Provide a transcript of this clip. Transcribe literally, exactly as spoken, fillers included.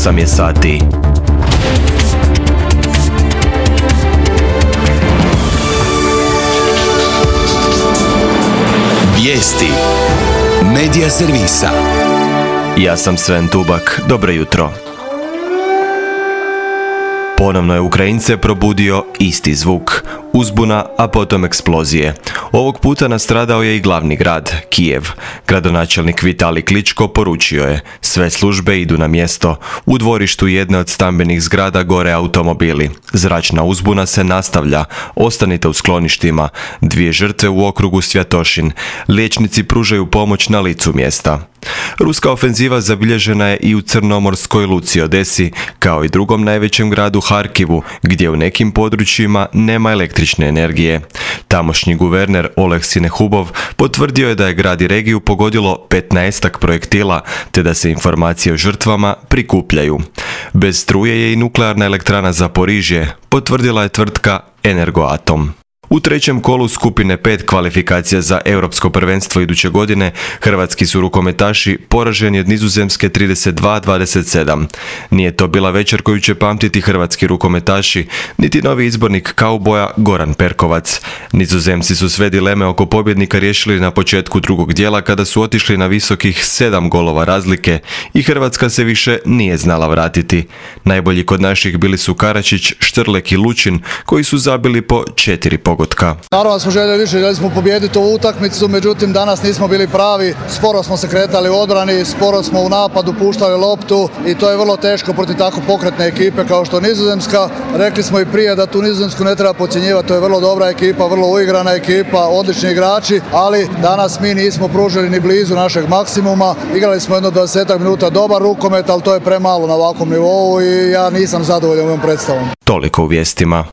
osam je sati. Vijesti Medija servisa. Ja sam Sven Tubak, dobro jutro. Ponovno je Ukrajince probudio isti zvuk, uzbuna, a potom eksplozije. Ovog puta nastradao je i glavni grad, Kijev. Gradonačelnik Vitalij Kličko poručio je: sve službe idu na mjesto. U dvorištu jedne od stambenih zgrada gore automobili. Zračna uzbuna se nastavlja. Ostanite u skloništima. Dvije žrtve u okrugu Svjatošin. Liječnici pružaju pomoć na licu mjesta. Ruska ofenziva zabilježena je i u crnomorskoj luci Odesi, kao i drugom najvećem gradu Harkivu, gdje u nekim područjima nema električne energije. Tamošnji guverner Oleg Sinehubov potvrdio je da je grad i regiju pogodilo petnaestak projektila, te da se informacije o žrtvama prikupljaju. Bez struje je i nuklearna elektrana Zaporižje, potvrdila je tvrtka Energoatom. U trećem kolu skupine pet kvalifikacija za europsko prvenstvo iduće godine hrvatski su rukometaši poraženi od Nizozemske trideset dva dvadeset sedam. Nije to bila večer koju će pamtiti hrvatski rukometaši, niti novi izbornik kauboja Goran Perkovac. Nizozemci su sve dileme oko pobjednika riješili na početku drugog dijela kada su otišli na visokih sedam golova razlike i Hrvatska se više nije znala vratiti. Najbolji kod naših bili su Karačić, Štrlek i Lučin, koji su zabili po četiri pogotka. Naravno smo željeli više, željeli smo pobijediti ovu utakmicu, međutim danas nismo bili pravi, sporo smo se kretali u odbrani, sporo smo u napadu puštali loptu i to je vrlo teško protiv tako pokretne ekipe kao što je Nizozemska. Rekli smo i prije da tu Nizozemsku ne treba podcjenjivati, to je vrlo dobra ekipa, vrlo uigrana ekipa, odlični igrači, ali danas mi nismo pružili ni blizu našeg maksimuma. Igrali smo jedno dvadeset minuta dobar rukomet, ali to je premalo na ovakvom nivou i ja nisam zadovoljan ovom predstavom. Toliko u vijestima.